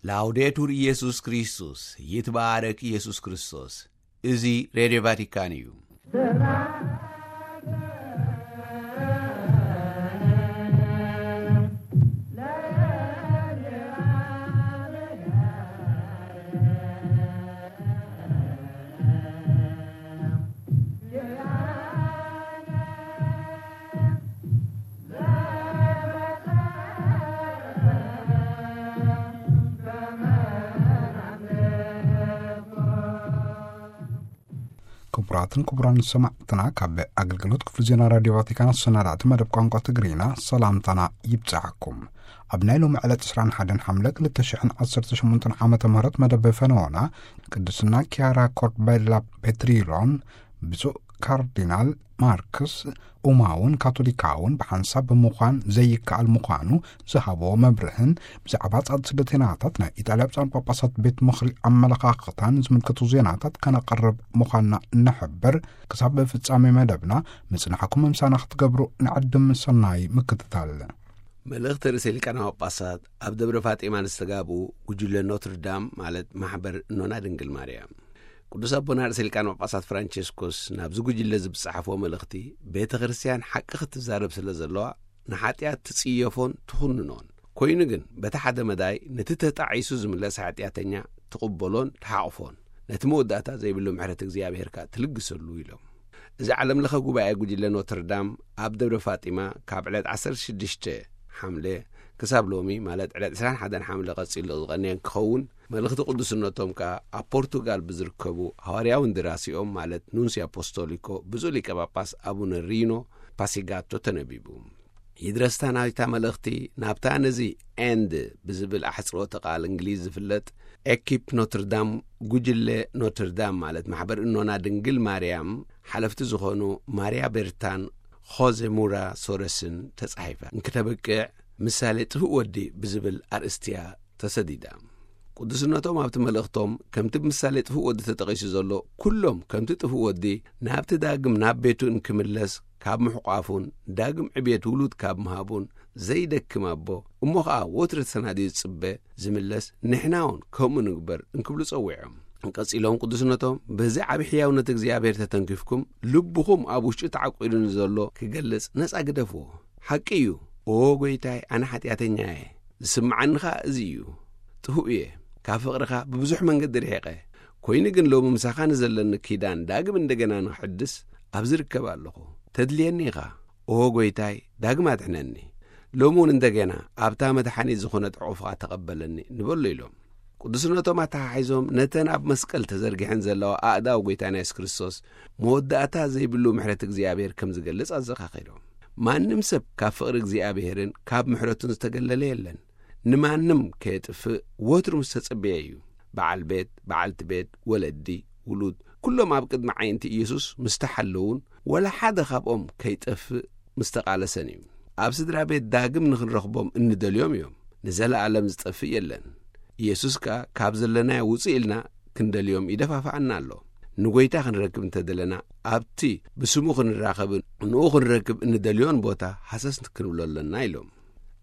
ላውዴቱር ኢየሱስ ክርስቶስ፣ ይትባረክ ኢየሱስ ክርስቶስ። እዚ ሬድዮ ቫቲካን እዩ። ክቡራትን ክቡራን ሰማዕትና፣ ካብ ኣገልግሎት ክፍሊ ዜና ራዲዮ ቫቲካን ኣሰናዳእቲ መደብ ቋንቋ ትግርኛ ሰላምታና ይብጻሕኩም። ኣብ ናይ ሎሚ ዕለት ዕስራን ሓደን ሓምለ ክልተ ሽሕን ዓሰርተ ሸሞንተን ዓመተ ምህረት መደብ ፈነወና፣ ቅድስና ኪያራ ኮርቤላ ፔትሪሎን ብፁዕ ካርዲናል ማርክስ ኡማውን ካቶሊካውን ብሓንሳብ ብምዃን ዘይከኣል ምዃኑ ዝሃብዎ መብርህን፣ ብዛዕባ ጻዕዲ ስደተኛታት ናይ ኢጣልያ ብፁዓን ጳጳሳት ቤት ምኽሪ ኣመለኻኽታን ዝምልከቱ ዜናታት ከነቕርብ ምዃንና ንሕብር። ክሳብ ፍጻሜ መደብና ምጽናሕኩም ምሳና ክትገብሩ ንዕድም ሰናይ ምክትታል። መልእኽቲ ርእሰ ሊቃነ ጳጳሳት ኣብ ደብረ ፋጢማ ንዝተጋብኡ ጉጅለ ኖትርዳም፣ ማለት ማሕበር እኖና ድንግል ማርያም። ቅዱስ ኣቦና ርእሰ ሊቃነ ጳጳሳት ፍራንቸስኮስ ናብዚ ጉጅለ ዝብጻሕፍዎ መልእኽቲ፣ ቤተ ክርስቲያን ሓቂ ክትዛረብ ስለ ዘለዋ፣ ንሓጢኣት ትጽየፎን ትኹንኖን። ኮይኑ ግን፣ በቲ ሓደ መዳይ፣ ነቲ ተጣዒሱ ዝምለስ ሓጢኣተኛ ትቕበሎን ትሓቕፎን፣ ነቲ መወዳእታ ዘይብሉ ምሕረት እግዚኣብሔር ከኣ ትልግሰሉ ኢሎም። እዚ ዓለም ለኸ ጉባኤ ጉጅለ ኖትርዳም ኣብ ደብረ ፋጢማ ካብ ዕለት ዓሰርተ ሽዱሽተ ሓምለ ክሳብ ሎሚ፣ ማለት ዕለት ዕስራን ሓደን ሓምለ ቀጺሉ ዝቐነየ ክኸውን፣ መልእኽቲ ቅዱስነቶም ከኣ ኣብ ፖርቱጋል ብዝርከቡ ሃዋርያዊ እንድራሲኦም፣ ማለት ኑንሲ ኣፖስቶሊኮ ብፁዕ ሊቀ ጳጳስ ኣቡነ ሪኖ ፓሲጋቶ ተነቢቡ። ይድረስታ ናይታ መልእኽቲ ናብታ ነዚ ኤንድ ብዝብል ኣሕጽሮተ ቃል እንግሊዝ ዝፍለጥ ኤኪፕ ኖትርዳም፣ ጉጅለ ኖትርዳም፣ ማለት ማሕበር እኖና ድንግል ማርያም ሓለፍቲ ዝኾኑ ማርያ ቤርታን ኾዜ ሙራ ሶረስን ተጻሒፋ እንክተብቅዕ፣ ምሳሌ ጥፉእ ወዲ ብዝብል ኣርእስቲ እያ ተሰዲዳ። ቅዱስነቶም ኣብቲ መልእኽቶም፣ ከምቲ ብምሳሌ ጥፉእ ወዲ ተጠቒሱ ዘሎ፣ ኩሎም ከምቲ ጥፉእ ወዲ ናብቲ ዳግም ናብ ቤቱ እንክምለስ ካብ ምሕቋፉን ዳግም ዕብየት ውሉድ ካብ ምሃቡን ዘይደክም ኣቦ፣ እሞ ኸኣ ወትሩ ተሰናድዩ ዝጽበ ዝምለስ፣ ንሕና እውን ከምኡ ንግበር እንክብሉ ጸዊዖም። ቀጺሎም ቅዱስነቶም፣ በዚ ዓቢ ሕያውነት እግዚኣብሔር ተተንኪፍኩም፣ ልብኹም ኣብ ውሽጡ ተዓቂዱ ንዘሎ ክገልጽ ነጻ ግደፍዎ። ሓቂ እዩ፣ ኦ ጐይታይ፣ ኣነ ሓጢኣተኛ እየ፣ ዝስምዓኒ ኸኣ እዚ እዩ። ጥፉእ እየ፣ ካብ ፍቕርኻ ብብዙሕ መንገዲ ርሒቐ። ኮይኑ ግን ሎሚ ምሳኻ ንዘለኒ ኪዳን ዳግም እንደገና ንኽሕድስ ኣብዚ ርከብ ኣለኹ። ተድልየኒ ኢኻ። ኦ ጐይታይ፣ ዳግም ኣድሕነኒ። ሎሚ እውን እንደገና ኣብታ መድሓኒት ዝኾነት ዕቑፍኻ ተቐበለኒ ንበሎ ኢሎም። ቅዱስነቶም ኣተሓሒዞም ነተን ኣብ መስቀል ተዘርጊሐን ዘለዋ ኣእዳው ጐይታና የሱስ ክርስቶስ መወዳእታ ዘይብሉ ምሕረት እግዚኣብሔር ከም ዝገልጽ ኣዘኻኺሮም። ማንም ሰብ ካብ ፍቕሪ እግዚኣብሔርን ካብ ምሕረቱን ዝተገለለ የለን። ንማንም ከየጥፍእ ወትሩ ምስ ተጸበየ እዩ። በዓል ቤት፣ በዓልቲ ቤት፣ ወለዲ፣ ውሉድ፣ ኩሎም ኣብ ቅድሚ ዓይንቲ ኢየሱስ ምስ ተሓለዉን ወላ ሓደ ካብኦም ከይጠፍእ ምስ ተቓለሰን እዩ። ኣብ ስድራ ቤት ዳግም ንኽንረኽቦም እንደልዮም እዮም። ንዘለኣለም ዝጠፍእ የለን። ኢየሱስ ከኣ ካብ ዘለናዮ ውጽእ ኢልና ክንደልዮም ይደፋፍኣና ኣሎ። ንጐይታ ክንረክብ እንተደለና፣ ኣብቲ ብስሙ ክንራኸብን ንኡ ክንረክብ እንደልዮን ቦታ ሃሰስ ክንብሎ ኣለና ኢሎም።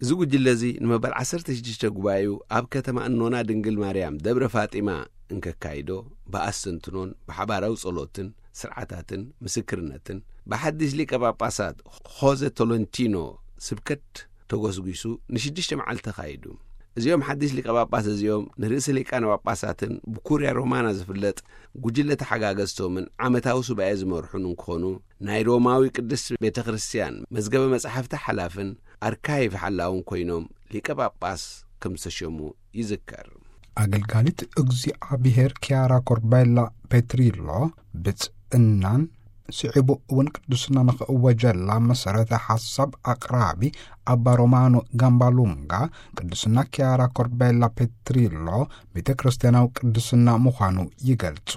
እዚ ጉጅለ እዚ ንመበል ዓሰርተ ሽዱሽተ ጉባኤኡ ኣብ ከተማ እኖና ድንግል ማርያም ደብረ ፋጢማ እንከካይዶ፣ ብኣስተንትኖን ብሓባራዊ ጸሎትን ስርዓታትን ምስክርነትን ብሓድሽ ሊቀ ጳጳሳት ኾዘ ቶሎንቲኖ ስብከት ተጎስጒሱ ንሽዱሽተ መዓልቲ ተኻይዱ። እዚኦም ሓድሽ ሊቀ ጳጳስ እዚኦም ንርእሲ ሊቃነ ጳጳሳትን ብኩርያ ሮማና ዝፍለጥ ጉጅለ ተሓጋገዝቶምን ዓመታዊ ሱባኤ ዝመርሑን እንክኾኑ፣ ናይ ሮማዊ ቅድስት ቤተ ክርስቲያን መዝገበ መጻሕፍቲ ሓላፍን ኣርካይቭ ሓላውን ኮይኖም ሊቀ ጳጳስ ከም ዝተሸሙ ይዝከር። ኣገልጋሊት እግዚኣብሔር ኪያራ ኮርቤላ ፔትሪሎ፣ ብጽእናን ስዒቡ እውን ቅድስና ንኽእወጀላ መሰረተ ሓሳብ ኣቕራቢ ኣባ ሮማኖ ጋምባሉንጋ፣ ቅድስና ኪያራ ኮርቤላ ፔትሪሎ ቤተ ክርስቲያናዊ ቅድስና ምዃኑ ይገልጹ።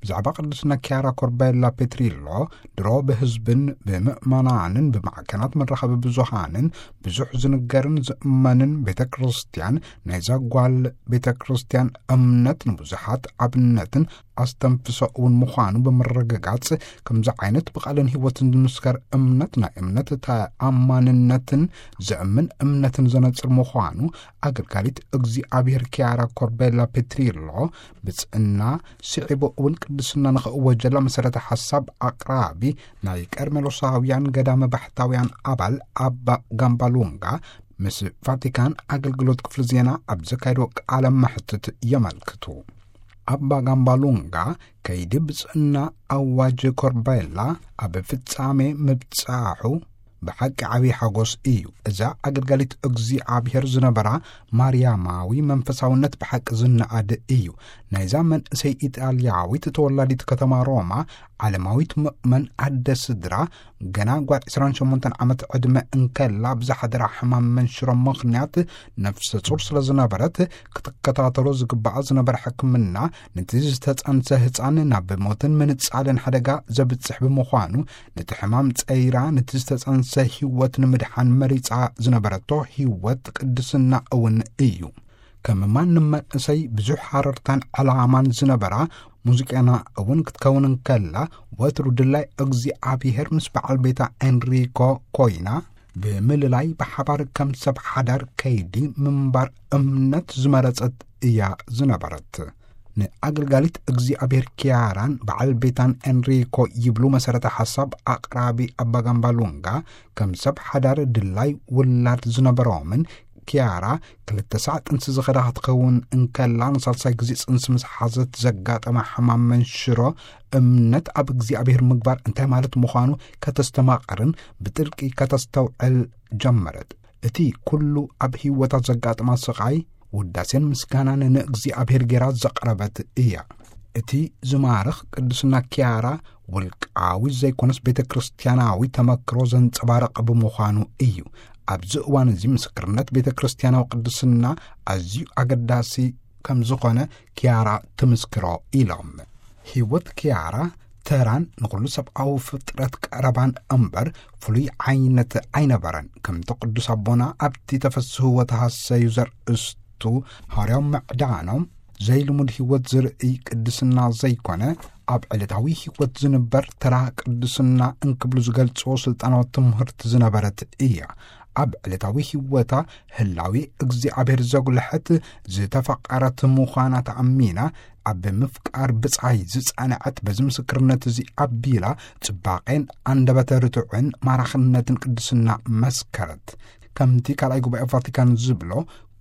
ብዛዕባ ቅድስና ኪያራ ኮርቤላ ፔትሪሎ፣ ድሮ ብህዝብን ብምእመናንን ብማዕከናት መራኸቢ ብዙሃንን ብዙሕ ዝንገርን ዝእመንን ቤተ ክርስቲያን፣ ናይዛ ጓል ቤተ ክርስቲያን እምነት ንብዙሓት ኣብነትን ኣስተንፍሶ እውን ምዃኑ ብምርግጋጽ፣ ከምዚ ዓይነት ብቓልን ህይወትን ዝምስከር እምነት ናይ እምነት ተኣማንነትን ዘእምን እምነትን ዘነጽር ምዃኑ ኣገልጋሊት እግዚኣብሔር ኪያራ ኮርቤላ ፔትሪሎ፣ ብጽእና ስዒቡ እውን ቅድስና ንኽእወጀላ መሰረተ ሓሳብ ኣቕራቢ ናይ ቀርሜሎሳውያን ገዳመ ባሕታውያን ኣባል ኣባ ጋምባሉንጋ ምስ ቫቲካን ኣገልግሎት ክፍሊ ዜና ኣብ ዘካየዶ ቃለ መሕትት የመልክቱ። ኣባ ጋምባሉንጋ ከይዲ ብጽእና ኣዋጅ ኮርቤላ ኣብ ፍጻሜ ምብጻሑ ብሓቂ ዓብዪ ሓጎስ እዩ። እዛ ኣገልጋሊት እግዚኣብሔር ዝነበራ ማርያማዊ መንፈሳውነት ብሓቂ ዝነኣድ እዩ። ናይዛ መንእሰይ ኢጣልያዊት ተወላዲት ከተማ ሮማ ዓለማዊት ምእመን ኣደ ስድራ፣ ገና ጓል ዕስራን ሸሞንተን ዓመት ዕድመ እንከላ ብዝሓደራ ሕማም መንሽሮ ምኽንያት ነፍሰ ጹር ስለ ዝነበረት፣ ክትከታተሎ ዝግባኣ ዝነበረ ሕክምና፣ ነቲ ዝተጸንሰ ህጻን ናብ ሞትን ምንጻልን ሓደጋ ዘብጽሕ ብምዃኑ፣ ነቲ ሕማም ጸይራ ነቲ ዝተጸንሰ ህይወት ንምድሓን መሪጻ ዝነበረቶ ህይወት ቅድስና እውን እዩ። ከም ማንም መንእሰይ ብዙሕ ሃረርታን ዕላማን ዝነበራ ሙዚቀኛ እውን ክትከውን እንከላ፣ ወትሩ ድላይ እግዚኣብሔር ምስ በዓል ቤታ ኤንሪኮ ኮይና፣ ብምልላይ ብሓባር ከም ሰብ ሓዳር ከይዲ ምንባር እምነት ዝመረጸት እያ ዝነበረት። ንኣገልጋሊት እግዚኣብሔር ኪያራን በዓል ቤታን ኤንሪኮ ይብሉ መሰረተ ሓሳብ ኣቕራቢ ኣባ ጋምባሉንጋ፣ ከም ሰብ ሓዳር ድላይ ውላድ ዝነበሮምን፣ ኪያራ ክልተ ሳዕ ጥንሲ ዝኸዳ ክትከውን እንከላ፣ ንሳልሳይ ግዜ ጽንሲ ምስ ሓዘት ዘጋጠማ ሕማም መንሽሮ እምነት ኣብ እግዚኣብሔር ምግባር እንታይ ማለት ምዃኑ ከተስተማቕርን ብጥልቂ ከተስተውዕል ጀመረት። እቲ ኩሉ ኣብ ህይወታ ዘጋጥማ ስቓይ ውዳሴን ምስጋናን ንእግዚኣብሔር ጌራ ዘቕረበት እያ። እቲ ዝማርኽ ቅድስና ኪያራ ውልቃዊ ዘይኮነስ ቤተ ክርስቲያናዊ ተመክሮ ዘንጸባርቕ ብምዃኑ እዩ። ኣብዚ እዋን እዚ ምስክርነት ቤተ ክርስቲያናዊ ቅድስና ኣዝዩ ኣገዳሲ ከም ዝኾነ ኪያራ ትምስክሮ ኢሎም። ህይወት ኪያራ ተራን ንኹሉ ሰብኣዊ ፍጥረት ቀረባን እምበር ፍሉይ ዓይነት ኣይነበረን። ከምቲ ቅዱስ ኣቦና ኣብቲ ተፈስህዎ ተሃሰዩ ዘርእስቱ ሃዋርያዊ ምዕዳኖም፣ ዘይልሙድ ህይወት ዝርእይ ቅድስና ዘይኮነ፣ ኣብ ዕለታዊ ህይወት ዝንበር ተራ ቅድስና እንክብሉ ዝገልጽዎ ስልጣናዊ ትምህርቲ ዝነበረት እያ። ኣብ ዕለታዊ ህይወታ ህላዊ እግዚኣብሔር ዘጉልሐት ዝተፈቐረት ምዃና ተኣሚና፣ ኣብ ምፍቃር ብጻይ ዝጸንዐት በዚ ምስክርነት እዚ ኣቢላ ጽባቄን ኣንደበተ ርቱዕን ማራኽነትን ቅድስና መስከረት። ከምቲ ካልኣይ ጉባኤ ቫቲካን ዝብሎ፣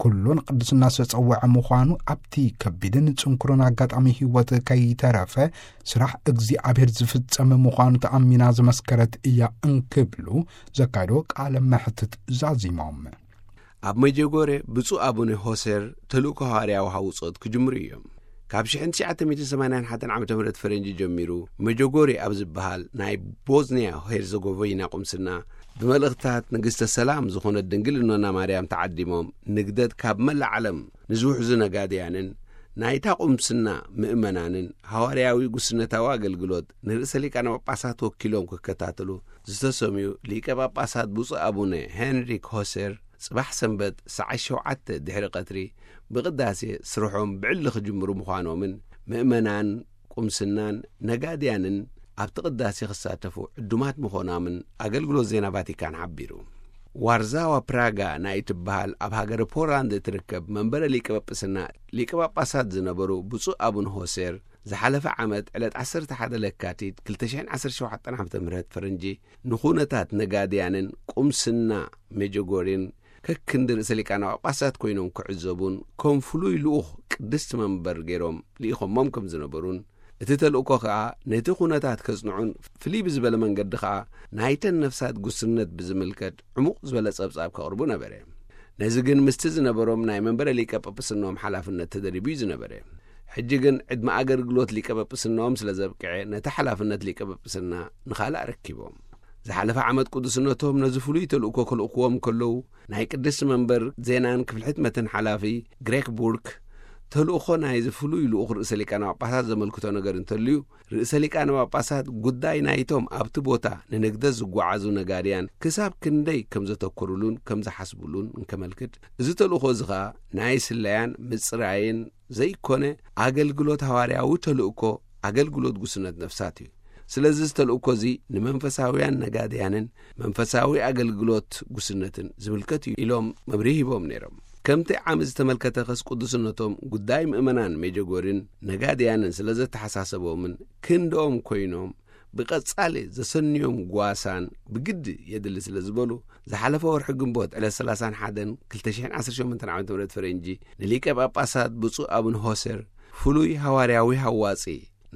ኩሉ ንቅድስና ዝተጸውዐ ምዃኑ ኣብቲ ከቢድን ጽንኩርን ኣጋጣሚ ህይወት ከይተረፈ ስራሕ እግዚኣብሔር ዝፍጸም ምዃኑ ተኣሚና ዝመስከረት እያ እንክብሉ ዘካየዶ ቃለ መሕትት ዛዚሞም። ኣብ መጀጎሬ ብፁዕ ኣቡነ ሆሴር ተልእኮ ሃዋርያዊ ሃውጾት ክጅምሩ እዮም። ካብ ሽሕን ትሽዓተ ሚእትን ሰማንያን ሓደን ዓመተ ምህረት ፈረንጂ ጀሚሩ መጀጎሬ ኣብ ዝበሃል ናይ ቦዝንያ ሄርዘጎቪና ቁምስና ብመልእኽትታት ንግስተ ሰላም ዝኾነት ድንግል እኖና ማርያም ተዓዲሞም ንግደት ካብ መላእ ዓለም ንዝውሕዙ ነጋድያንን ናይታ ቁምስና ምእመናንን ሃዋርያዊ ጉስነታዊ ኣገልግሎት ንርእሰ ሊቃነ ጳጳሳት ወኪሎም ክከታተሉ ዝተሰምዩ ሊቀ ጳጳሳት ብፁዕ ኣቡነ ሄንሪክ ሆሴር ጽባሕ ሰንበት ሰዓት ሸውዓተ ድሕሪ ቀትሪ ብቕዳሴ ስርሖም ብዕሊ ክጅምሩ ምዃኖምን ምእመናን ቁምስናን ነጋድያንን ኣብቲ ቅዳሴ ክሳተፉ ዕዱማት ምዃኖምን ኣገልግሎት ዜና ቫቲካን ሓቢሩ። ዋርዛዋ ፕራጋ ናይ እትበሃል ኣብ ሃገረ ፖላንድ እትርከብ መንበረ ሊቀ ጳጳስና ሊቀ ጳጳሳት ዝነበሩ ብፁዕ ኣቡነ ሆሴር ዝሓለፈ ዓመት ዕለት ዓሰርተ ሓደ ለካቲት ክልተ ሽሕን ዓሰርተ ሸውዓተን ዓመተ ምህረት ፈረንጂ ንኹነታት ነጋድያንን ቁምስና ሜጀጎሪን ከክንዲ ርእሰ ሊቃነ ጳጳሳት ኮይኖም ክዕዘቡን ከም ፍሉይ ልኡኽ ቅድስቲ መንበር ገይሮም ልኢኾሞም ከም ዝነበሩን እቲ ተልእኮ ከኣ ነቲ ኩነታት ከጽንዑን ፍልይ ብዝበለ መንገዲ ከኣ ናይተን ነፍሳት ጉስነት ብዝምልከት ዕሙቕ ዝበለ ጸብጻብ ከቕርቡ ነበረ። ነዚ ግን ምስቲ ዝነበሮም ናይ መንበረ ሊቀ ጳጳስንኦም ሓላፍነት ተደሪቡ እዩ ዝነበረ። ሕጂ ግን ዕድመ ኣገልግሎት ሊቀ ጳጳስንኦም ስለ ዘብቅዐ ነቲ ሓላፍነት ሊቀ ጳጳስና ንኻልእ ኣረኪቦም። ዝሓለፈ ዓመት ቅዱስነቶም ነዚ ፍሉይ ተልእኮ ክልእክዎም ከለዉ ናይ ቅድስቲ መንበር ዜናን ክፍሊ ሕትመትን ሓላፊ ግሬክ ቡርክ ተልእኾ ናይዚ ፍሉይ ልኡኽ ርእሰ ሊቃነ ጳጳሳት ዘመልክቶ ነገር እንተልዩ ርእሰ ሊቃነ ጳጳሳት ጉዳይ ናይቶም ኣብቲ ቦታ ንንግደት ዝጓዓዙ ነጋድያን ክሳብ ክንደይ ከም ዘተኮሩሉን ከም ዝሓስቡሉን እንከመልክት፣ እዚ ተልእኾ እዚ ኸኣ ናይ ስለያን ምጽራይን ዘይኮነ ኣገልግሎት ሃዋርያዊ ተልእኮ ኣገልግሎት ጉስነት ነፍሳት እዩ። ስለዚ ዝተልእኮ እዚ ንመንፈሳውያን ነጋድያንን መንፈሳዊ ኣገልግሎት ጉስነትን ዝምልከት እዩ ኢሎም መብርሂ ሂቦም ነይሮም። ከምቲ ዓመት ዝተመልከተ ኸስ ቅዱስነቶም ጉዳይ ምእመናን ሜጀጎሪን ነጋድያንን ስለ ዘተሓሳሰቦምን ክንድኦም ኮይኖም ብቐጻሊ ዘሰንዮም ጓሳን ብግዲ የድሊ ስለ ዝበሉ ዝሓለፈ ወርሒ ግንቦት ዕለት ሰላሳን ሓደን ክልተ ሽሕን ዓሰርተ ሸሞንተን ዓመተ ምህረት ፈረንጂ ንሊቀ ጳጳሳት ብፁዕ ኣቡነ ሆሴር ፍሉይ ሃዋርያዊ ሃዋጺ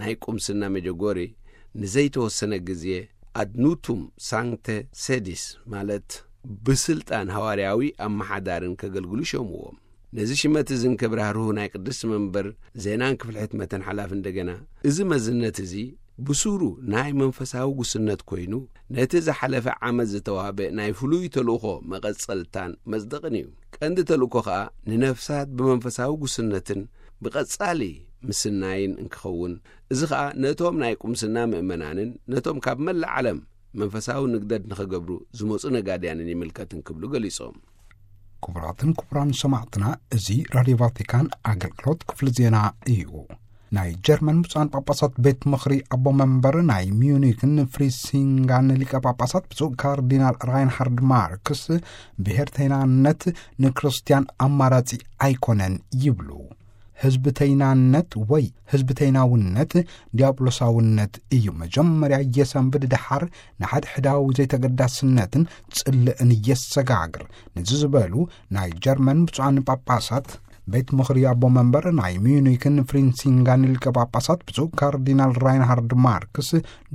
ናይ ቁምስና ሜጀጎሪ ንዘይተወሰነ ግዜ ኣድኑቱም ሳንክተ ሴዲስ ማለት ብስልጣን ሃዋርያዊ ኣመሓዳርን ከገልግሉ ሸምዎም። ነዚ ሽመት እዝን ከብራህርሁ ናይ ቅድስቲ መንበር ዜናን ክፍሊ ሕትመትን ሓላፊ እንደገና፣ እዚ መዝነት እዚ ብሱሩ ናይ መንፈሳዊ ጉስነት ኮይኑ፣ ነቲ ዝሓለፈ ዓመት ዝተዋህበ ናይ ፍሉይ ተልእኾ መቐጸልታን መጽደቕን እዩ። ቀንዲ ተልእኮ ኸኣ ንነፍሳት ብመንፈሳዊ ጉስነትን ብቐጻሊ ምስናይን እንክኸውን፣ እዚ ኸኣ ነቶም ናይ ቁምስና ምእመናንን ነቶም ካብ መላእ ዓለም መንፈሳዊ ንግደት ንኸገብሩ ዝመጹ ነጋድያንን ይምልከትን ክብሉ ገሊጾም። ክቡራትን ክቡራን ሰማዕትና፣ እዚ ራድዮ ቫቲካን ኣገልግሎት ክፍሊ ዜና እዩ። ናይ ጀርመን ብፁዓን ጳጳሳት ቤት ምኽሪ ኣቦ መንበር ናይ ሚዩኒክን ፍሪሲንጋን ሊቀ ጳጳሳት ብፁዕ ካርዲናል ራይንሃርድ ማርክስ ብሄርተይናነት ንክርስትያን ኣማራጺ ኣይኮነን ይብሉ። ህዝብተይናነት ወይ ህዝብተይናውነት ዲያብሎሳውነት እዩ። መጀመርያ የሰንብድ፣ ደሓር ንሓድሕዳዊ ዘይተገዳስነትን ጽልእን የሰጋግር። ነዚ ዝበሉ ናይ ጀርመን ብፁዓን ጳጳሳት ቤት ምኽሪ ኣቦ መንበር ናይ ሚዩኒክን ፍሪንሲንጋን ሊቀ ጳጳሳት ብፁዕ ካርዲናል ራይንሃርድ ማርክስ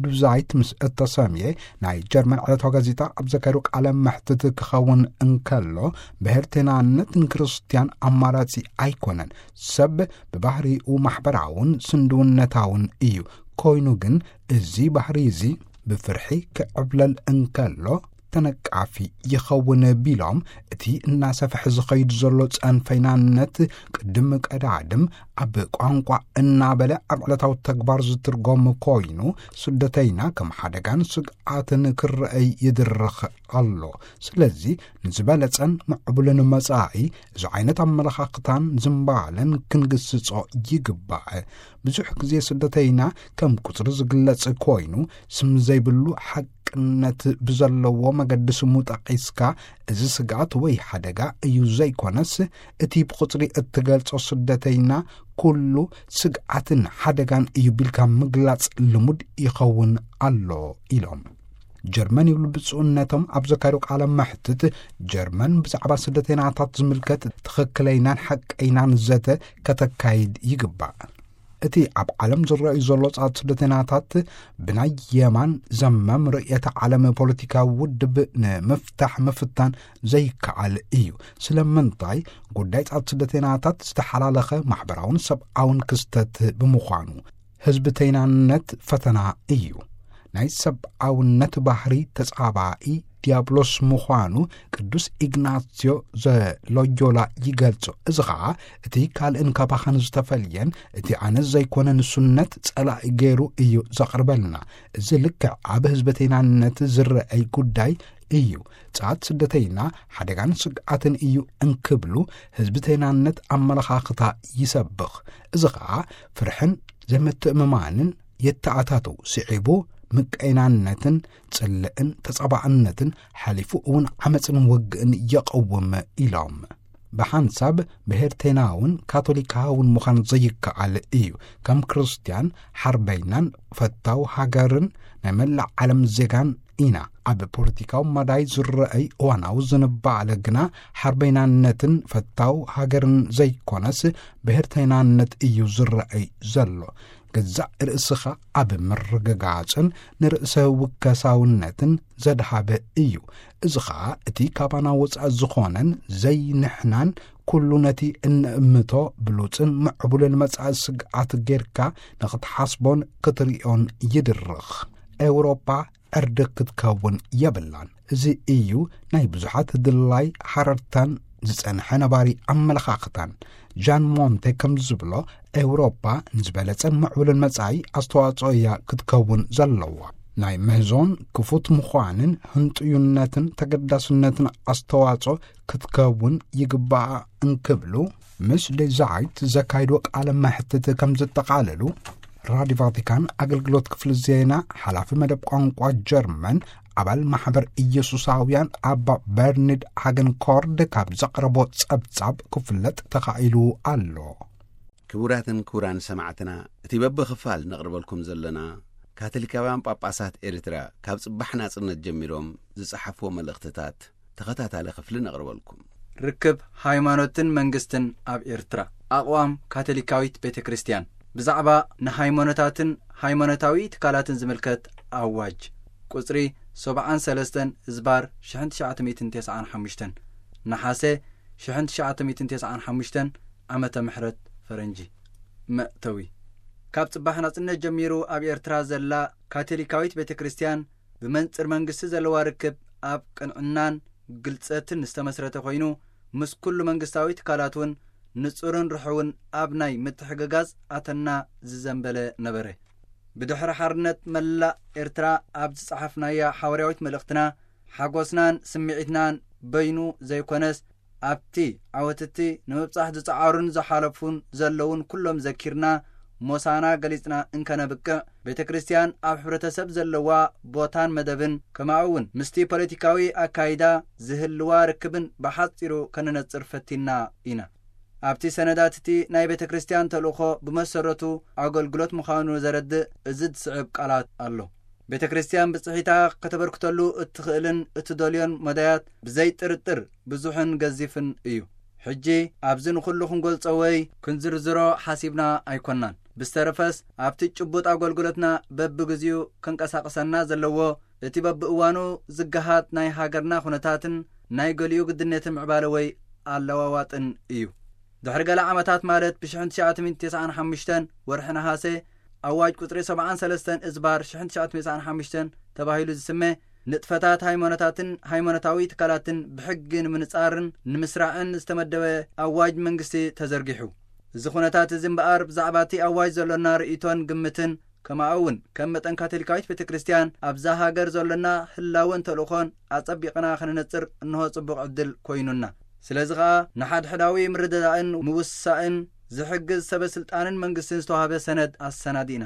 ዱዛይት ምስ እተሰምየ ናይ ጀርመን ዕለታዊ ጋዜጣ ኣብ ዘካየዶ ቃለ መሕትት ክኸውን እንከሎ፣ ብሄርተይናነት ንክርስትያን ኣማራጺ ኣይኮነን። ሰብ ብባህሪኡ ማሕበራውን ስንድውነታውን እዩ። ኮይኑ ግን እዚ ባህሪ እዚ ብፍርሒ ክዕብለል እንከሎ ተነቃፊ ይኸውን ቢሎም፣ እቲ እናሰፍሐ ዝኸይድ ዘሎ ጸንፈይናነት ቅድም ቀዳድም ኣብ ቋንቋ እናበለ ኣብ ዕለታዊ ተግባር ዝትርጎም ኮይኑ፣ ስደተይና ከም ሓደጋን ስግኣትን ክረአይ ይድርኽ ኣሎ። ስለዚ ንዝበለጸን ምዕቡልን መጻኢ እዚ ዓይነት ኣመለኻኽታን ዝምባለን ክንግስጾ ይግባእ። ብዙሕ ግዜ ስደተይና ከም ቁጽሪ ዝግለጽ ኮይኑ፣ ስም ዘይብሉ ሓቅነት ብዘለዎ መገዲ ስሙ ጠቒስካ፣ እዚ ስግኣት ወይ ሓደጋ እዩ ዘይኮነስ፣ እቲ ብቁጽሪ እትገልጾ ስደተይና ኩሉ ስግኣትን ሓደጋን እዩ ቢልካ ምግላጽ ልሙድ ይኸውን ኣሎ ኢሎም። ጀርመን ይብሉ ብፁዕነቶም ኣብ ዘካየዱ ቃለ መሕትት፣ ጀርመን ብዛዕባ ስደተይናታት ዝምልከት ትኽክለይናን ሓቀይናን ዘተ ከተካይድ ይግባእ። እቲ ኣብ ዓለም ዝረኣዩ ዘሎ ጻት ስደተይናታት ብናይ የማን ዘመም ርእየተ ዓለም ፖለቲካዊ ውድብ ንምፍታሕ ምፍታን ዘይከኣል እዩ። ስለምንታይ ጉዳይ ጻት ስደተይናታት ዝተሓላለኸ ማሕበራውን ሰብኣውን ክስተት ብምዃኑ፣ ህዝብተይናነት ፈተና እዩ። ናይ ሰብኣውነት ባህሪ ተጻባኢ ዲያብሎስ ምዃኑ ቅዱስ ኢግናስዮ ዘሎዮላ ይገልጾ። እዚ ኸኣ እቲ ካልእን ካባኻን ዝተፈልየን እቲ ኣነ ዘይኮነ ንሱነት ጸላኢ ገይሩ እዩ ዘቕርበልና። እዚ ልክዕ ኣብ ህዝብተይናነት ዝረኣይ ጉዳይ እዩ። ጻት ስደተይና ሓደጋን ስግኣትን እዩ እንክብሉ፣ ህዝብተይናነት ኣመለኻኽታ ይሰብኽ። እዚ ኸኣ ፍርሕን ዘይምትእምማንን የተኣታትው። ስዒቡ ምቀይናነትን ጽልእን ተጻባእነትን ሓሊፉ እውን ዓመጽን ውግእን የቐውም ኢሎም። ብሓንሳብ ብሄርተይናውን ካቶሊካውን ምዃን ዘይከኣል እዩ። ከም ክርስትያን ሓርበይናን ፈታው ሃገርን ናይ መላእ ዓለም ዜጋን ኢና። ኣብ ፖለቲካዊ መዳይ ዝረኣይ እዋናዊ ዝንባለ ግና ሓርበይናነትን ፈታው ሃገርን ዘይኮነስ ብሄርተይናነት እዩ ዝረኣይ ዘሎ። ገዛእ ርእስኻ ኣብ ምርግጋጽን ንርእሰ ውከሳውነትን ዘድሃበ እዩ። እዚ ኸኣ እቲ ካባና ወጻኢ ዝኾነን ዘይንሕናን ኩሉ ነቲ እንእምቶ ብሉጽን ምዕቡልን መጻኢ ስግኣት ጌርካ ንኽትሓስቦን ክትርእዮን ይድርኽ። ኤውሮጳ ዕርዲ ክትከውን የብላን። እዚ እዩ ናይ ብዙሓት ድላይ ሓረርታን ዝጸንሐ ነባሪ ኣመለኻኽታን። ጃን ሞንቴ ከም ዝብሎ፣ ኤውሮጳ ንዝበለጸን ምዕቡልን መጻኢ ኣስተዋጽኦ እያ ክትከውን ዘለዋ። ናይ ምህዞን ክፉት ምዃንን ህንጥዩነትን ተገዳስነትን ኣስተዋጽኦ ክትከውን ይግባኣ እንክብሉ፣ ምስ ዴዛይት ዘካይዶ ቃለ መሕትት ከም ዘጠቓለሉ፣ ራዲዮ ቫቲካን ኣገልግሎት ክፍሊ ዜና ሓላፊ መደብ ቋንቋ ጀርመን ኣባል ማሕበር ኢየሱሳውያን ኣባ በርኒድ ሃገን ኮርድ ካብ ዘቕረቦ ጸብጻብ ክፍለጥ ተኻኢሉ ኣሎ። ክቡራትን ክቡራን ሰማዕትና፣ እቲ በብኽፋል ነቕርበልኩም ዘለና ካቶሊካውያን ጳጳሳት ኤርትራ ካብ ጽባሕ ናጽነት ጀሚሮም ዝጸሓፍዎ መልእኽትታት ተኸታታሊ ክፍሊ ነቕርበልኩም። ርክብ ሃይማኖትን መንግስትን ኣብ ኤርትራ። ኣቕዋም ካቶሊካዊት ቤተ ክርስቲያን ብዛዕባ ንሃይማኖታትን ሃይማኖታዊ ትካላትን ዝምልከት ኣዋጅ ቁጽሪ ሰብዓን ሰለስተን ዝባር ሽሕን ትሽዓተ ሚእትን ተስዓን ሓሙሽተን፣ ነሓሰ ሽሕን ትሽዓተ ሚእትን ተስዓን ሓሙሽተን ዓመተ ምሕረት ፈረንጂ። መእተዊ። ካብ ጽባሕ ናጽነት ጀሚሩ ኣብ ኤርትራ ዘላ ካቶሊካዊት ቤተ ክርስቲያን ብመንጽር መንግስቲ ዘለዋ ርክብ ኣብ ቅንዕናን ግልጸትን ዝተመስረተ ኮይኑ፣ ምስ ኩሉ መንግስታዊ ትካላት እውን ንጹርን ርሑውን ኣብ ናይ ምትሕግጋዝ ኣተና ዝዘንበለ ነበረ። ብድሕሪ ሓርነት መላእ ኤርትራ ኣብ ዝጸሓፍናያ ሓዋርያዊት መልእኽትና፣ ሓጎስናን ስምዒትናን በይኑ ዘይኮነስ፣ ኣብቲ ዓወትቲ ንምብጻሕ ዝጸዓሩን ዝሓለፉን ዘለውን ኩሎም ዘኪርና፣ ሞሳና ገሊጽና እንከነብቅዕ፣ ቤተ ክርስቲያን ኣብ ሕብረተሰብ ዘለዋ ቦታን መደብን፣ ከማኡ እውን ምስቲ ፖለቲካዊ ኣካይዳ ዝህልዋ ርክብን ብሓጺሩ ከነነጽር ፈቲና ኢና። ኣብቲ ሰነዳት እቲ ናይ ቤተ ክርስቲያን ተልእኾ ብመሰረቱ ኣገልግሎት ምዃኑ ዘረድእ እዚ ዝስዕብ ቃላት ኣሎ። ቤተ ክርስቲያን ብጽሒታ ከተበርክተሉ እትኽእልን እትደልዮን መዳያት ብዘይ ጥርጥር ብዙሕን ገዚፍን እዩ። ሕጂ ኣብዚ ንኹሉ ክንገልጾ ወይ ክንዝርዝሮ ሓሲብና ኣይኮናን። ብዝተረፈስ ኣብቲ ጭቡጥ ኣገልግሎትና በብግዚኡ ከንቀሳቕሰና ዘለዎ እቲ በብእዋኑ ዝገሃድ ናይ ሃገርና ኩነታትን ናይ ገሊኡ ግድነት ምዕባለ ወይ ኣለዋዋጥን እዩ። ድሕሪ ገለ ዓመታት ማለት ብሽሕን ትሽዓተ ሚእትን ተስዓን ሓሙሽተን ወርሒ ነሃሰ ኣዋጅ ቁጽሪ ሰብዓን ሰለስተን እዝባር ሽሕን ትሽዓተ ሚእትን ተስዓን ሓሙሽተን ተባሂሉ ዝስመ ንጥፈታት ሃይማኖታትን ሃይማኖታዊ ትካላትን ብሕጊ ንምንጻርን ንምስራዕን ዝተመደበ ኣዋጅ መንግስቲ ተዘርጊሑ። እዚ ኩነታት እዚ እምበኣር ብዛዕባ እቲ ኣዋጅ ዘሎና ርእይቶን ግምትን ከማኡ እውን ከም መጠን ካቶሊካዊት ቤተ ክርስቲያን ኣብዛ ሃገር ዘሎና ህላወን ተልእኾን ኣጸቢቕና ክንነጽር እንሆ ጽቡቕ ዕድል ኮይኑና። ስለዚ ኸኣ ንሓድሕዳዊ ምርድዳእን ምውሳእን ዝሕግዝ ሰበ ስልጣንን መንግስትን ዝተዋህበ ሰነድ ኣሰናዲእና።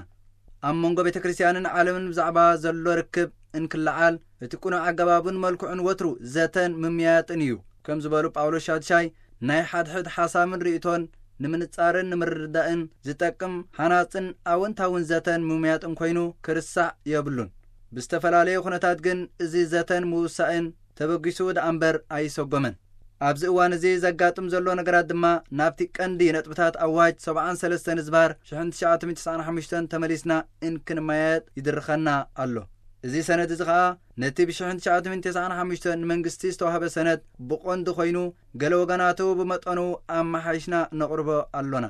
ኣብ መንጎ ቤተ ክርስቲያንን ዓለምን ብዛዕባ ዘሎ ርክብ እንክለዓል እቲ ቅኑዕ ኣገባብን መልክዑን ወትሩ ዘተን ምምያጥን እዩ። ከም ዝበሉ ጳውሎስ ሻድሻይ ናይ ሓድሕድ ሓሳብን ርእይቶን ንምንጻርን ንምርዳእን ዝጠቅም ሃናጽን ኣወንታውን ዘተን ምምያጥን ኮይኑ ክርሳዕ የብሉን። ብዝተፈላለየ ኩነታት ግን እዚ ዘተን ምውሳእን ተበጊሱ ደኣ እምበር ኣይሰጎመን። ኣብዚ እዋን እዚ ዘጋጥም ዘሎ ነገራት ድማ ናብቲ ቀንዲ ነጥብታት ኣዋጅ ሰብዓን ሰለስተን ዝባር ሽሕን ትሽዓተ ሚእትን ተስዓን ሓሙሽተን ተመሊስና እንክንመያየጥ ይድርኸና ኣሎ። እዚ ሰነድ እዚ ኸኣ ነቲ ብሽሕን ትሽዓተ ሚእትን ተስዓን ሓሙሽተን ንመንግስቲ ዝተዋህበ ሰነድ ብቐንዱ ኮይኑ፣ ገለ ወገናቱ ብመጠኑ ኣመሓይሽና ነቕርቦ ኣሎና።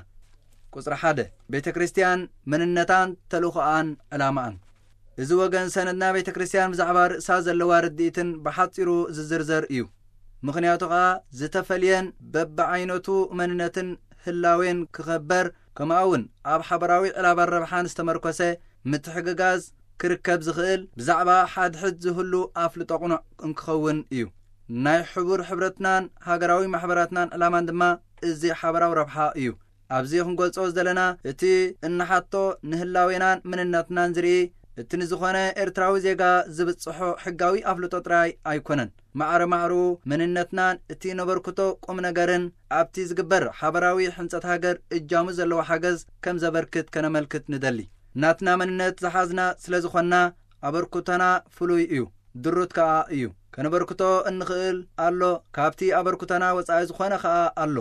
ቁጽሪ ሓደ፣ ቤተ ክርስቲያን መንነታን ተልእኾኣን ዕላማኣን። እዚ ወገን ሰነድና ቤተ ክርስቲያን ብዛዕባ ርእሳ ዘለዋ ርድኢትን ብሓጺሩ ዝዝርዘር እዩ። ምኽንያቱ ኸኣ ዝተፈልየን በብዓይነቱ መንነትን ህላዌን ክኸበር፣ ከምኡ እውን ኣብ ሓበራዊ ዕላባን ረብሓን ዝተመርኮሰ ምትሕግጋዝ ክርከብ ዝኽእል ብዛዕባ ሓድሕድ ዝህሉ ኣፍልጦ ቅኑዕ እንክኸውን እዩ። ናይ ሕቡር ሕብረትናን ሃገራዊ ማሕበራትናን ዕላማን ድማ እዚ ሓበራዊ ረብሓ እዩ። ኣብዚ ክንገልጾ ዝደለና እቲ እንሓቶ ንህላዌናን መንነትናን ዝርኢ፣ እቲ ንዝኾነ ኤርትራዊ ዜጋ ዝብጽሖ ሕጋዊ ኣፍልጦ ጥራይ ኣይኮነን። ማዕረ ማዕሩ መንነትናን እቲ ነበርክቶ ቁም ነገርን ኣብቲ ዝግበር ሓበራዊ ሕንጸት ሃገር እጃሙ ዘለዎ ሓገዝ ከም ዘበርክት ከነመልክት ንደሊ። ናትና መንነት ዝሓዝና ስለ ዝኾንና ኣበርክቶና ፍሉይ እዩ፣ ድሩት ከኣ እዩ። ከነበርክቶ እንኽእል ኣሎ፣ ካብቲ ኣበርክቶና ወጻኢ ዝኾነ ከኣ ኣሎ።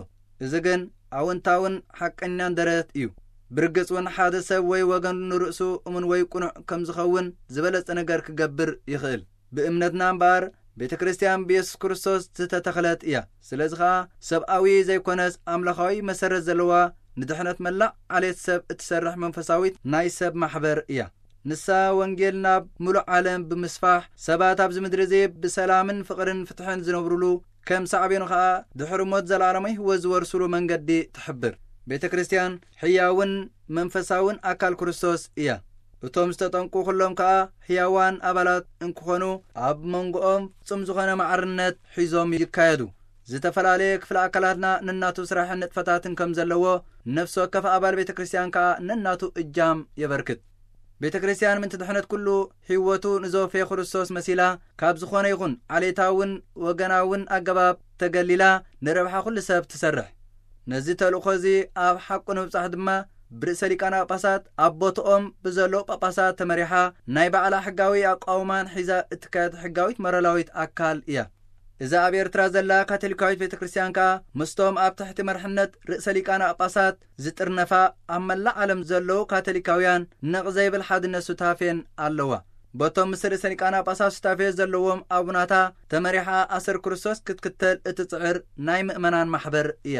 እዚ ግን ኣወንታውን ሓቀኛን ደረት እዩ። ብርግጽ እውን ሓደ ሰብ ወይ ወገን ንርእሱ እሙን ወይ ቅኑዕ ከም ዝኸውን ዝበለጸ ነገር ክገብር ይኽእል። ብእምነትና እምበኣር ቤተ ክርስቲያን ብየሱስ ክርስቶስ ዝተተኽለት እያ። ስለዚ ኸኣ ሰብኣዊ ዘይኮነስ ኣምላኻዊ መሰረት ዘለዋ ንድሕነት መላእ ዓሌት ሰብ እትሰርሕ መንፈሳዊት ናይ ሰብ ማሕበር እያ። ንሳ ወንጌል ናብ ምሉእ ዓለም ብምስፋሕ ሰባት ኣብዚ ምድሪ እዚ ብሰላምን ፍቕርን ፍትሕን ዝነብሩሉ ከም ሳዕቤኑ ኸኣ ድሕሪ ሞት ዘለኣለማዊ ህይወት ዝወርስሉ መንገዲ ትሕብር። ቤተ ክርስቲያን ሕያውን መንፈሳውን ኣካል ክርስቶስ እያ። እቶም ዝተጠንቁ ኩሎም ከኣ ሕያዋን ኣባላት እንክኾኑ ኣብ መንጎኦም ፍጹም ዝኾነ ማዕርነት ሒዞም ይካየዱ። ዝተፈላለየ ክፍለ ኣካላትና ነናቱ ስራሕን ንጥፈታትን ከም ዘለዎ፣ ነፍሲ ወከፍ ኣባል ቤተ ክርስቲያን ከኣ ነናቱ እጃም የበርክት። ቤተ ክርስቲያን ምእንቲ ድሕነት ኩሉ ህይወቱ ንዘወፈየ ክርስቶስ መሲላ፣ ካብ ዝኾነ ይኹን ዓሌታውን ወገናውን ኣገባብ ተገሊላ፣ ንረብሓ ኩሉ ሰብ ትሰርሕ። ነዚ ተልእኾ እዚ ኣብ ሓቁ ንምብጻሕ ድማ፣ ብርእሰ ሊቃነ ጳጳሳት ኣብ ቦትኦም ብዘለዉ ጳጳሳት ተመሪሓ፣ ናይ ባዕላ ሕጋዊ ኣቃውማን ሒዛ እትካየድ ሕጋዊት ሞራላዊት ኣካል እያ። እዛ ኣብ ኤርትራ ዘላ ካቶሊካዊት ቤተ ክርስቲያን ከኣ፣ ምስቶም ኣብ ትሕቲ መርሕነት ርእሰ ሊቃነ ጳጳሳት ዝጥርነፋ ኣብ መላእ ዓለም ዘለዉ ካቶሊካውያን ነቕ ዘይብል ሓድነት ሱታፌን ኣለዋ። በቶም ምስ ርእሰ ሊቃነ ጳጳሳት ሱታፌ ዘለዎም ኣቡናታ ተመሪሓ ኣሰር ክርስቶስ ክትክተል እትጽዕር ናይ ምእመናን ማሕበር እያ።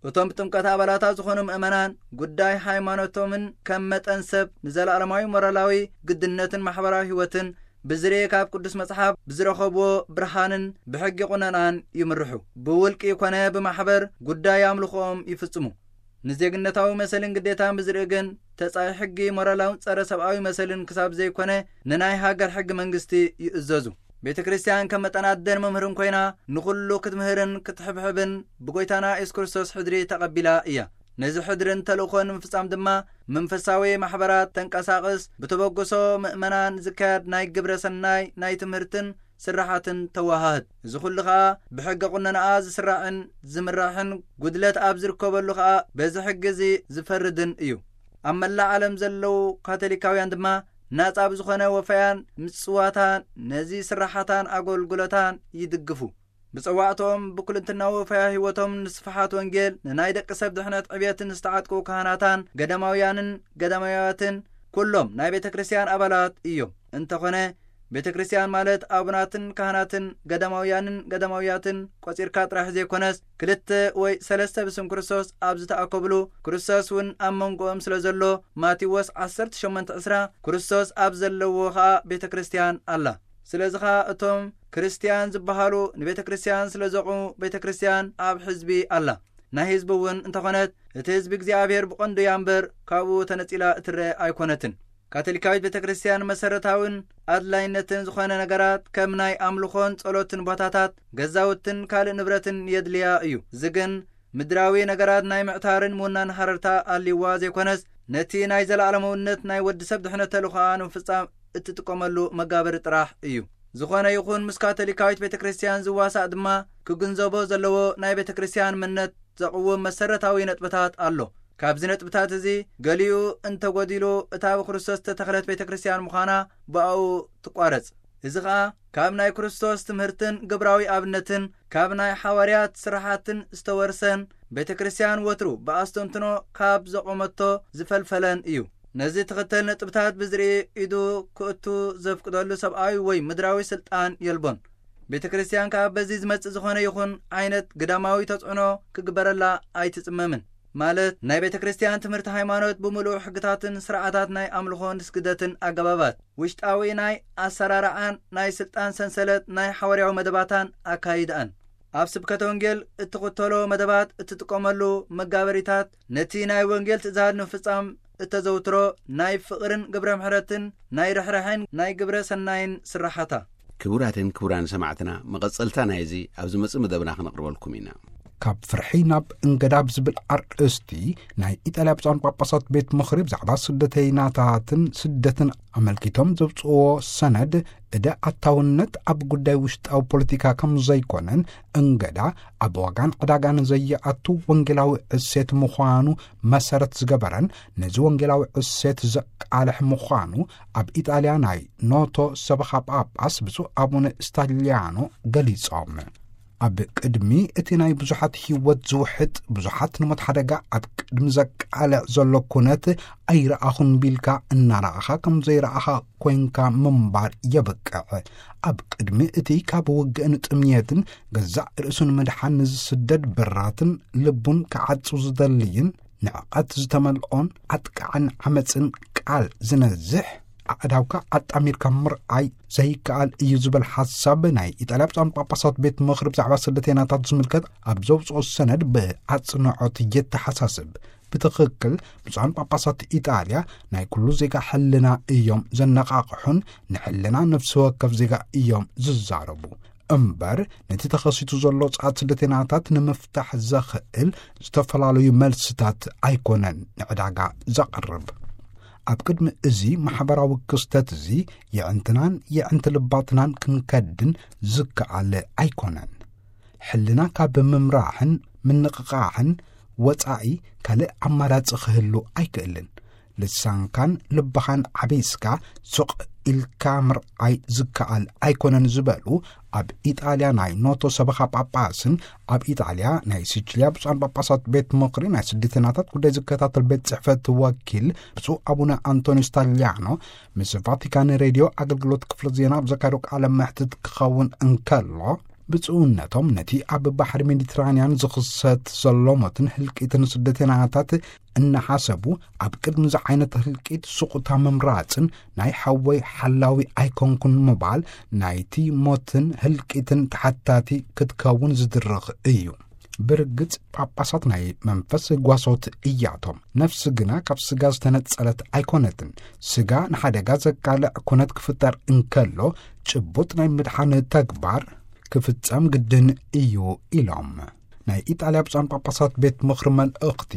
እቶም ብጥምቀት ኣባላታ ዝኾኑ ምእመናን ጉዳይ ሃይማኖቶምን ከም መጠን ሰብ ንዘለኣለማዊ ሞራላዊ ግድነትን ማሕበራዊ ህይወትን ብዝርኤ ካብ ቅዱስ መጽሓፍ ብዝረኸብዎ ብርሃንን ብሕጊ ቁነናን ይምርሑ። ብውልቂ ኮነ ብማሕበር ጉዳይ ኣምልኾኦም ይፍጽሙ። ንዜግነታዊ መሰልን ግዴታን ብዝርኢ ግን ተጻይ ሕጊ ሞራላውን ጸረ ሰብኣዊ መሰልን ክሳብ ዘይኮነ ንናይ ሃገር ሕጊ መንግስቲ ይእዘዙ። ቤተ ክርስቲያን ከም መጠን ኣደን መምህርን ኮይና ንኹሉ ክትምህርን ክትሕብሕብን ብጎይታና የሱስ ክርስቶስ ሕድሪ ተቐቢላ እያ። ነዚ ሕድርን ተልእኾን ንምፍጻም ድማ መንፈሳዊ ማሕበራት ተንቀሳቕስ፣ ብተበግሶ ምእመናን ዝካየድ ናይ ግብረ ሰናይ ናይ ትምህርትን ስራሓትን ተወሃህድ። እዚ ኩሉ ኸኣ ብሕገ ቁነናኣ ዝስራዕን ዝምራሕን፣ ጉድለት ኣብ ዝርከበሉ ኸኣ በዚ ሕጊ እዚ ዝፈርድን እዩ። ኣብ መላእ ዓለም ዘለዉ ካቶሊካውያን ድማ ናጻ ብዝኾነ ወፈያን ምጽዋታን ነዚ ስራሓታን ኣገልግሎታን ይድግፉ። ብጸዋዕቶም ብኩልንትናዊ ወፈያ ህይወቶም ንስፍሓት ወንጌል ንናይ ደቂ ሰብ ድሕነት ዕብየትን ዝተዓጥቁ ካህናታን ገዳማውያንን ገዳማውያትን ኩሎም ናይ ቤተ ክርስቲያን ኣባላት እዮም። እንተኾነ ቤተ ክርስቲያን ማለት ኣቡናትን ካህናትን ገዳማውያንን ገዳማውያትን ቆጺርካ ጥራሕ ዘይኮነስ፣ ክልተ ወይ ሰለስተ ብስም ክርስቶስ ኣብ ዝተኣከብሉ፣ ክርስቶስ እውን ኣብ መንጎኦም ስለ ዘሎ፣ ማቴዎስ ዓሰርተ ሸሞንተ ዕስራ፣ ክርስቶስ ኣብ ዘለዎ ኸኣ ቤተ ክርስቲያን ኣላ። ስለዚ ኸኣ እቶም ክርስቲያን ዝበሃሉ ንቤተ ክርስቲያን ስለ ዘቑሙ፣ ቤተ ክርስቲያን ኣብ ሕዝቢ ኣላ። ናይ ህዝቢ እውን እንተኾነት፣ እቲ ህዝቢ እግዚኣብሔር ብቐንዱ እያ እምበር፣ ካብኡ ተነጺላ እትረአ ኣይኮነትን። ካቶሊካዊት ቤተ ክርስቲያን መሰረታውን ኣድላይነትን ዝኾነ ነገራት፣ ከም ናይ ኣምልኾን ጸሎትን ቦታታት፣ ገዛውትን ካልእ ንብረትን የድልያ እዩ። እዚ ግን ምድራዊ ነገራት ናይ ምዕታርን ምውናን ሃረርታ ኣልይዋ ዘይኮነስ፣ ነቲ ናይ ዘለኣለማውነት ናይ ወዲ ሰብ ድሕነት ተልእኾኣ ንምፍጻም እትጥቀመሉ መጋበሪ ጥራሕ እዩ። ዝኾነ ይኹን ምስ ካቶሊካዊት ቤተ ክርስቲያን ዝዋሳእ ድማ፣ ክግንዘቦ ዘለዎ ናይ ቤተ ክርስቲያን እምነት ዘቕውም መሰረታዊ ነጥብታት ኣሎ። ካብዚ ነጥብታት እዚ ገሊኡ እንተጎዲሉ፣ እታ ብክርስቶስ ዝተተኽለት ቤተ ክርስቲያን ምዃና ብኣኡ ትቋረጽ። እዚ ኸኣ ካብ ናይ ክርስቶስ ትምህርትን ግብራዊ ኣብነትን፣ ካብ ናይ ሓዋርያት ስራሓትን ዝተወርሰን፣ ቤተ ክርስቲያን ወትሩ ብኣስተንትኖ ካብ ዘቖመቶ ዝፈልፈለን እዩ። ነዚ ትኽተል ነጥብታት ብዝርኢ ኢዱ ክእቱ ዘፍቅደሉ ሰብኣዊ ወይ ምድራዊ ስልጣን የልቦን። ቤተ ክርስቲያን ከኣ በዚ ዝመጽእ ዝኾነ ይኹን ዓይነት ግዳማዊ ተጽዕኖ ክግበረላ ኣይትጽመምን። ማለት ናይ ቤተ ክርስቲያን ትምህርቲ ሃይማኖት ብምሉእ ሕግታትን ስርዓታት ናይ ኣምልኾን ስግደትን ኣገባባት፣ ውሽጣዊ ናይ ኣሰራርዓን ናይ ስልጣን ሰንሰለት ናይ ሓዋርያዊ መደባታን ኣካይድኣን፣ ኣብ ስብከተ ወንጌል እትኽተሎ መደባት፣ እትጥቀመሉ መጋበሪታት፣ ነቲ ናይ ወንጌል ትእዛዝ ንምፍጻም እተዘውትሮ ናይ ፍቕርን ግብረ ምሕረትን ናይ ርሕራሕን ናይ ግብረ ሰናይን ስራሓታ። ክቡራትን ክቡራን ሰማዕትና፣ መቐጸልታ ናይዚ ኣብ ዝመጽእ መደብና ክነቕርበልኩም ኢና። ካብ ፍርሒ ናብ እንገዳ ብዝብል ኣርእስቲ ናይ ኢጣልያ ብፁዓን ጳጳሳት ቤት ምኽሪ ብዛዕባ ስደተይናታትን ስደትን ኣመልኪቶም ዘውፅእዎ ሰነድ፣ እደ ኣታውነት ኣብ ጉዳይ ውሽጣዊ ፖለቲካ ከም ዘይኮነን፣ እንገዳ ኣብ ዋጋን ዕዳጋን ዘየኣቱ ወንጌላዊ እሴት ምዃኑ መሰረት ዝገበረን፣ ነዚ ወንጌላዊ እሴት ዘቃልሕ ምዃኑ ኣብ ኢጣልያ ናይ ኖቶ ሰበኻ ጳጳስ ብፁዕ ኣቡነ ስታሊያኖ ገሊጾም። ኣብ ቅድሚ እቲ ናይ ብዙሓት ህይወት ዝውሕጥ፣ ብዙሓት ንሞት ሓደጋ ኣብ ቅድሚ ዘቃልዕ ዘሎ ኩነት ኣይረኣኹን ቢልካ እናረኣኻ ከም ዘይረኣኻ ኮንካ ምንባር የብቅዕ። ኣብ ቅድሚ እቲ ካብ ውግእን ጥምየትን ገዛእ ርእሱን ምድሓን ንዝስደድ ብራትን ልቡን ክዓጹ ዝደልይን ንዕቐት ዝተመልኦን ኣጥቃዕን ዓመጽን ቃል ዝነዝሕ ኣእዳውካ ኣጣሚርካ ምርኣይ ዘይከኣል እዩ ዝብል ሓሳብ ናይ ኢጣልያ ብፁዓን ጳጳሳት ቤት ምኽሪ ብዛዕባ ስደተይናታት ዝምልከት ኣብ ዘውፅኦ ሰነድ ብኣፅንዖት የተሓሳስብ። ብትኽክል ብፁዓን ጳጳሳት ኢጣልያ ናይ ኩሉ ዜጋ ሕልና እዮም ዘነቓቕሑን ንሕልና ነፍሲ ወከፍ ዜጋ እዮም ዝዛረቡ። እምበር፣ ነቲ ተኸሲቱ ዘሎ ጸዓት ስደተናታት ንምፍታሕ ዘኽእል ዝተፈላለዩ መልስታት ኣይኮነን ንዕዳጋ ዘቕርብ። ኣብ ቅድሚ እዚ ማሕበራዊ ክስተት እዚ፣ የዕንትናን የዕንቲ ልባትናን ክንከድን ዝከኣል ኣይኮነን። ሕልና ካብ ምምራሕን ምንቕቓሕን ወጻኢ ካልእ ኣማራጺ ክህሉ ኣይክእልን። ልሳንካን ልብኻን ዓቢስካ ሱቕ ኢልካ ምርኣይ ዝከኣል ኣይኮነን ዝበሉ ኣብ ኢጣልያ ናይ ኖቶ ሰበኻ ጳጳስን ኣብ ኢጣልያ ናይ ሲቺልያ ብፁዓን ጳጳሳት ቤት ምኽሪ ናይ ስደተናታት ጉዳይ ዝከታተል ቤት ጽሕፈት ወኪል ብፁዕ ኣቡነ ኣንቶኒ ስታሊያኖ ምስ ቫቲካን ሬድዮ ኣገልግሎት ክፍሊ ዜና ኣብ ዘካየዶ ቃለ መሕትት ክኸውን እንከሎ፣ ብፁዕነቶም ነቲ ኣብ ባሕሪ ሜዲትራንያን ዝኽሰት ዘሎ ሞትን ህልቂትን ስደተናታት እናሓሰቡ፣ ኣብ ቅድሚ እዚ ዓይነት ህልቂት ስቑታ ምምራጽን ናይ ሓወይ ሓላዊ ኣይኮንኩን ምባል ናይቲ ሞትን ህልቂትን ተሓታቲ ክትከውን ዝድርኽ እዩ። ብርግጽ ጳጳሳት ናይ መንፈስ ጓሶት እያቶም። ነፍሲ ግና ካብ ስጋ ዝተነጸለት ኣይኮነትን። ስጋ ንሓደጋ ዘቃልዕ ኩነት ክፍጠር እንከሎ፣ ጭቡጥ ናይ ምድሓን ተግባር ክፍጸም ግድን እዩ ኢሎም። ናይ ኢጣልያ ብፁዓን ጳጳሳት ቤት ምኽሪ መልእኽቲ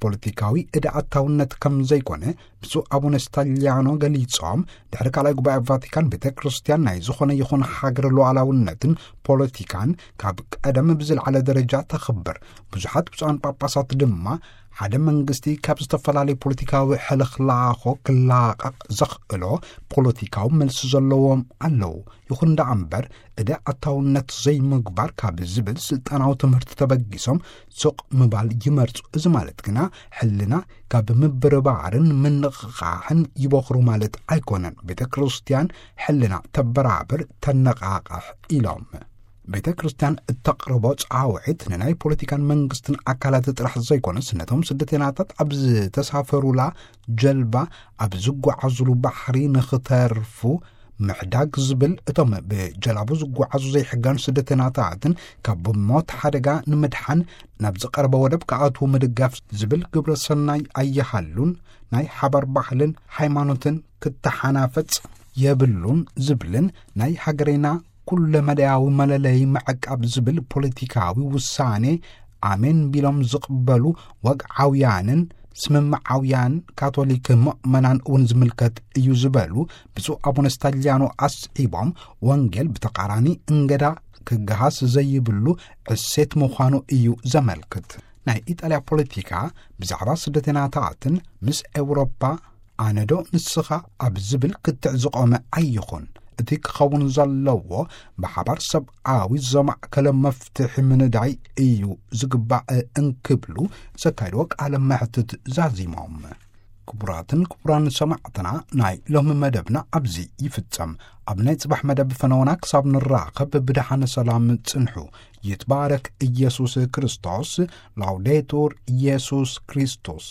ፖለቲካዊ እዳ ኣታውነት ከም ዘይኮነ ብፁዕ ኣቡነ ስታሊያኖ ገሊጾም፣ ድሕሪ ካልኣይ ጉባኤ ቫቲካን ቤተ ክርስቲያን ናይ ዝኾነ ይኹን ሃገር ሉዓላውነትን ፖለቲካን ካብ ቀደም ብዝለዓለ ደረጃ ተኽብር። ብዙሓት ብፁዓን ጳጳሳት ድማ ሓደ መንግስቲ ካብ ዝተፈላለዩ ፖለቲካዊ ሕልኽላኾ ክላቐቕ ዘኽእሎ ፖለቲካዊ መልሲ ዘለዎም ኣለዉ። ይኹን ደኣ እምበር፣ እደ ኣታውነት ዘይምግባር ካብ ዝብል ስልጣናዊ ትምህርቲ ተበጊሶም ሱቕ ምባል ይመርጹ። እዚ ማለት ግና ሕልና ካብ ምብርባርን ምንቕቓሕን ይበኽሩ ማለት ኣይኮነን። ቤተ ክርስቲያን ሕልና ተበራብር፣ ተነቓቕሕ ኢሎም። ቤተ ክርስቲያን እተቕርቦ ጻውዒት ንናይ ፖለቲካን መንግስትን ኣካላት ጥራሕ ዘይኮነስ፣ ነቶም ስደተናታት ኣብ ዝተሳፈሩላ ጀልባ፣ ኣብ ዝጓዓዙሉ ባሕሪ ንኽተርፉ ምሕዳግ ዝብል፣ እቶም ብጀላቡ ዝጓዓዙ ዘይሕጋን ስደተናታትን ካብ ሞት ሓደጋ ንምድሓን ናብ ዝቐረበ ወደብ ክኣትዉ ምድጋፍ ዝብል ግብረ ሰናይ ኣይሃሉን፣ ናይ ሓባር ባህልን ሃይማኖትን ክተሓናፈጽ የብሉን ዝብልን ናይ ሃገሬና ኩለመዳያዊ መለለይ ምዕቃብ ዝብል ፖለቲካዊ ውሳኔ ኣሜን ቢሎም ዝቕበሉ ወግዓውያንን ስምምዓውያን ካቶሊክ ምእመናን እውን ዝምልከት እዩ ዝበሉ ብፁዕ ኣቡነ ስታሊያኖ ኣስዒቦም፣ ወንጌል ብተቓራኒ እንገዳ ክገሃስ ዘይብሉ ዕሴት ምዃኑ እዩ ዘመልክት። ናይ ኢጣልያ ፖለቲካ ብዛዕባ ስደተናታትን ምስ ኤውሮጳ ኣነዶ ንስኻ ኣብ ዝብል ክትዕ ዝቖመ ኣይኹን። እቲ ክኸውን ዘለዎ ብሓባር ሰብኣዊ ዘማእከለ መፍትሒ ምንዳይ እዩ ዝግባእ እንክብሉ ዘካየድዎ ቃለ መሕትት ዛዚሞም። ክቡራትን ክቡራን ሰማዕትና፣ ናይ ሎሚ መደብና ኣብዚ ይፍጸም። ኣብ ናይ ጽባሕ መደብ ፈነወና ክሳብ ንራኸብ ብደሓነ ሰላም ጽንሑ። ይትባረክ ኢየሱስ ክርስቶስ። ላውዴቱር ኢየሱስ ክርስቶስ።